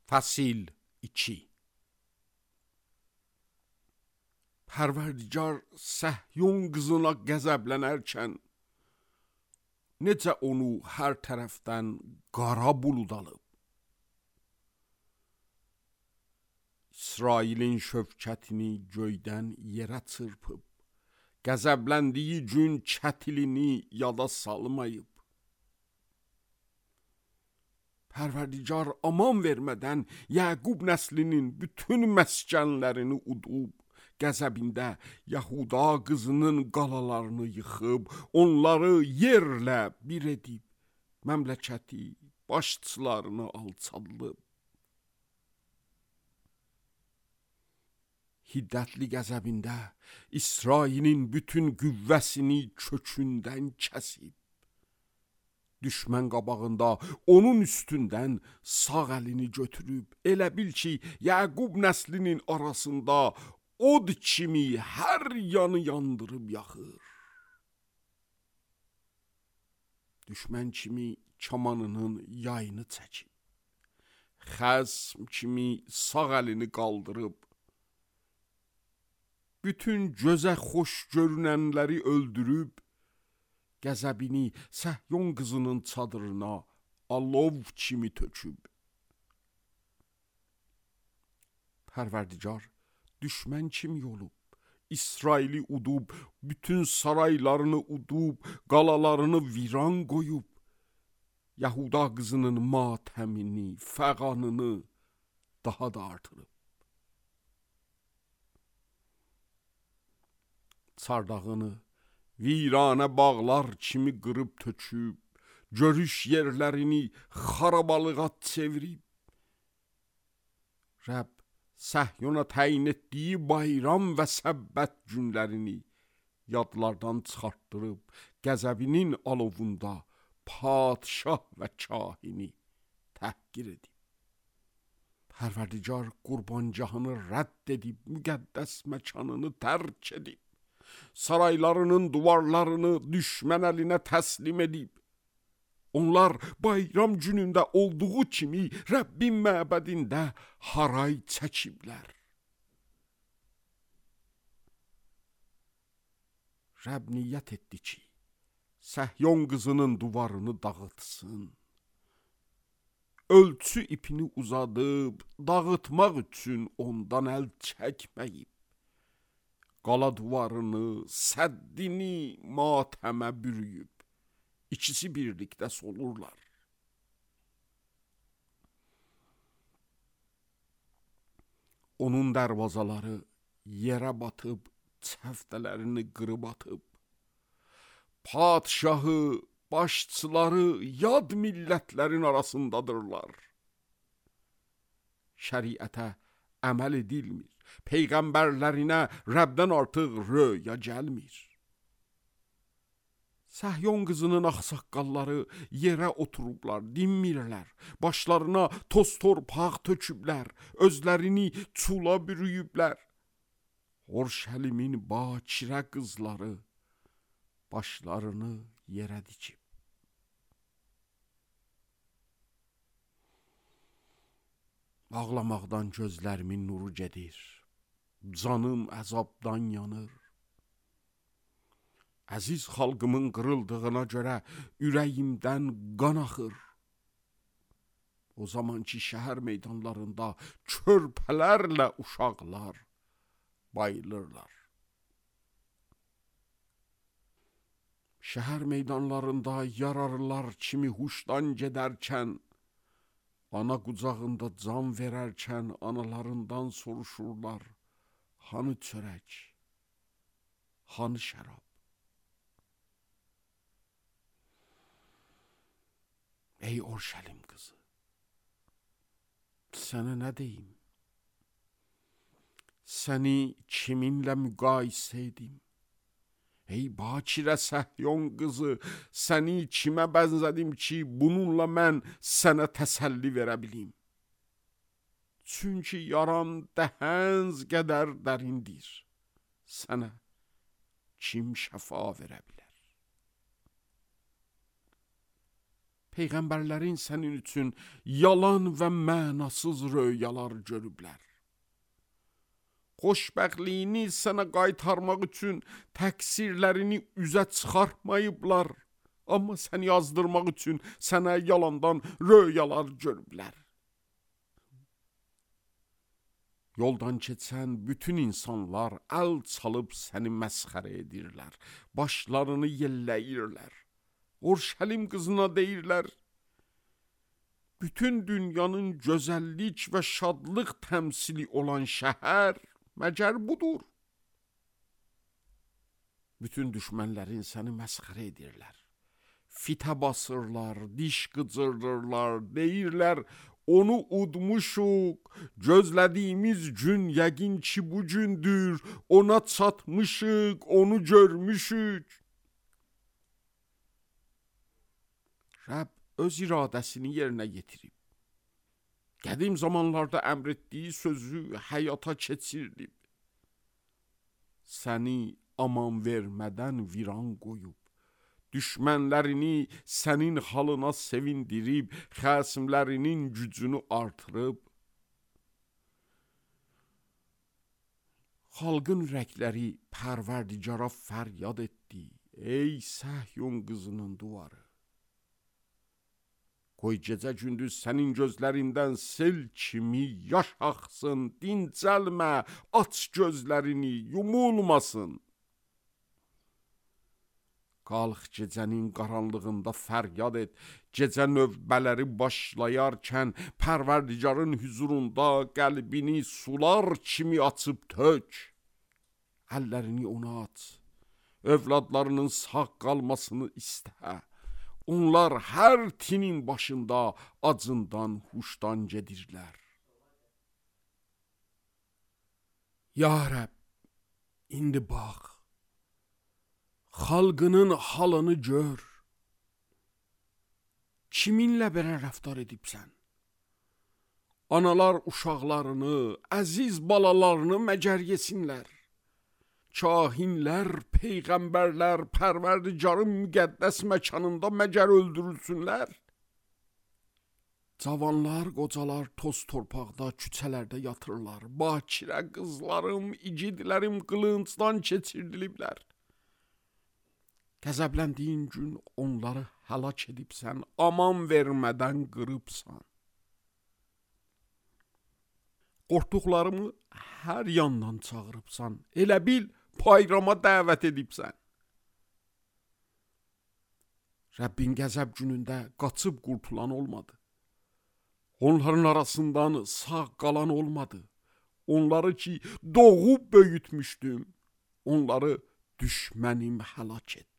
Fəsil 2. Pərverdigar Səhyun qızına qəzəblənərkən necə onu hər tərəfdən qara bulud alıb. İsrailin şövkətini göydən yerə çırpıb, qəzəbləndiyi gün kətilini yada salmayıb. Pərverdigar aman vermədən Yəqub nəslinin bütün məskənlərini udub, qəzəbində Yahuda qızının qalalarını yıxıb, onları yerlə bir edib, məmləkəti başçılarını alçaldıb. Hiddətli qəzəbində İsrailin bütün qüvvəsini kökündən kəsib. Düşmən qabağında onun üstündən sağ əlini götürüb, elə bil ki, Yəqub nəslinin arasında od kimi hər yanı yandırıb yaxır. Düşmən kimi kamanının yayını çəkib, xəsm kimi sağ əlini qaldırıb, bütün gözə xoş görünənləri öldürüb, qəzəbini Səhyun qızının çadırına alov kimi töküb. Pərverdigar düşmən kimi olub, İsraili udub, bütün saraylarını udub, qalalarını viran qoyub, Yahuda qızının matəmini, fəğanını daha da artırıb. Çardağını viranə bağlar kimi qırıb töküb, görüş yerlərini xarabalığa çevirib. Rəbb Səhyuna təyin etdiyi bayram və səbbət günlərini yadlardan çıxartdırıb, qəzəbinin alovunda padşah və kahini təhqir edib. Pərverdigar qurbancahını rədd edib, müqəddəs məkanını tərk edib, saraylarının duvarlarını düşmən əlinə təslim edib. Onlar bayram günündə olduğu kimi Rəbbin məbədində haray çəkiblər. Rəbb niyyət etdi ki, Səhyun qızının duvarını dağıtsın. Ölçü ipini uzadıb, dağıtmaq üçün ondan əl çəkməyib. Qala duvarını, səddini matəmə bürüyüb, İkisi birlikdə solurlar. Onun dərvazaları yerə batıb, çəftələrini qırıb atıb, padşahı, başçıları yad millətlərin arasındadırlar. Şəriətə əməl edilmir, peyğəmbərlərinə Rəbdən artıq röya gəlmir. Səhyun qızının ağsaqqalları yerə oturublar, dinmirlər, başlarına toz torpaq töküblər, özlərini çula bürüyüblər. Orşəlimin bakirə qızları başlarını yerə dikib. Ağlamaqdan gözlərimin nuru gedir, canım əzabdan yanır. Əziz xalqımın qırıldığına görə ürəyimdən qan axır. O zaman ki, şəhər meydanlarında körpələrlə uşaqlar bayılırlar. Şəhər meydanlarında yararlar kimi huşdan gedərkən, ana qucağında can verərkən analarından soruşurlar, hanı çörək, hanı şərab? Ey Orşəlim qızı, sənə nə deyim? Səni kiminlə müqayisə edim? Ey bakirə Səhyun qızı, səni kimə bənzədim ki, bununla mən sənə təsəlli verə bilim? Çünki yaran dəhənz qədər dərindir, sənə kim şəfa verə bilər? Peyğəmbərlərin sənin üçün yalan və mənasız röyalar görüblər. Xoşbəxtliyini sənə qaytarmaq üçün təqsirlərini üzə çıxartmayıblar, amma səni yazdırmaq üçün sənə yalandan röyalar görüblər. Yoldan keçən bütün insanlar əl çalıb səni məsxərə edirlər, başlarını yelləyirlər. Urşəlim qızına deyirlər, bütün dünyanın gözəllik və şadlıq təmsili olan şəhər məgər budur. Bütün düşmənlərin səni məsxərə edirlər. Fitə basırlar, diş qıcırdırlar, deyirlər, onu udmuşuq, gözlədiyimiz gün yəqin ki bu gündür, ona çatmışıq, onu görmüşük. Rəbb öz iradəsini yerinə yetirib. Qədim zamanlarda əmr etdiyi sözü həyata keçirdib. Səni aman vermədən viran qoyub. Düşmənlərini sənin halına sevindirib, xəsimlərinin gücünü artırıb. Xalqın ürəkləri Pərverdigara fəryad etdi. Ey Səhyun qızının duvarı. Qoy gecə gündüz sənin gözlərindən sel kimi yaş axsın, dincəlmə, aç gözlərini, yumulmasın. Qalx gecənin qaranlığında fəryad et, gecə növbələri başlayarkən Pərverdigarın hüzurunda qəlbini sular kimi açıb tök. Əllərini ona aç, övladlarının sağ qalmasını istə. Onlar hər tinin başında acından, huşdan gedirlər. Ya Rəbb, indi bax, xalqının halını gör. Kiminlə belə rəftar edibsən? Analar uşaqlarını, əziz balalarını məgər yesinlər. Kahinlər, peyğəmbərlər Pərverdigarın müqəddəs məkanında məgər öldürülsünlər? Cavanlar, qocalar toz torpaqda, küçələrdə yatırlar. Bakirə qızlarım, igidlərim qılıncdan keçirdiliblər. Qəzəbləndiyin gün onları həlak edibsən, aman vermədən qırıbsan. Qorxduqlarımı hər yandan çağırıbsan, elə bil bayrama dəvət edibsən. Rəbbin qəzəb günündə qaçıb qurtulan olmadı. Onların arasından sağ qalan olmadı. Onları ki doğub böyütmüşdüm, onları düşmənim həlak etdi.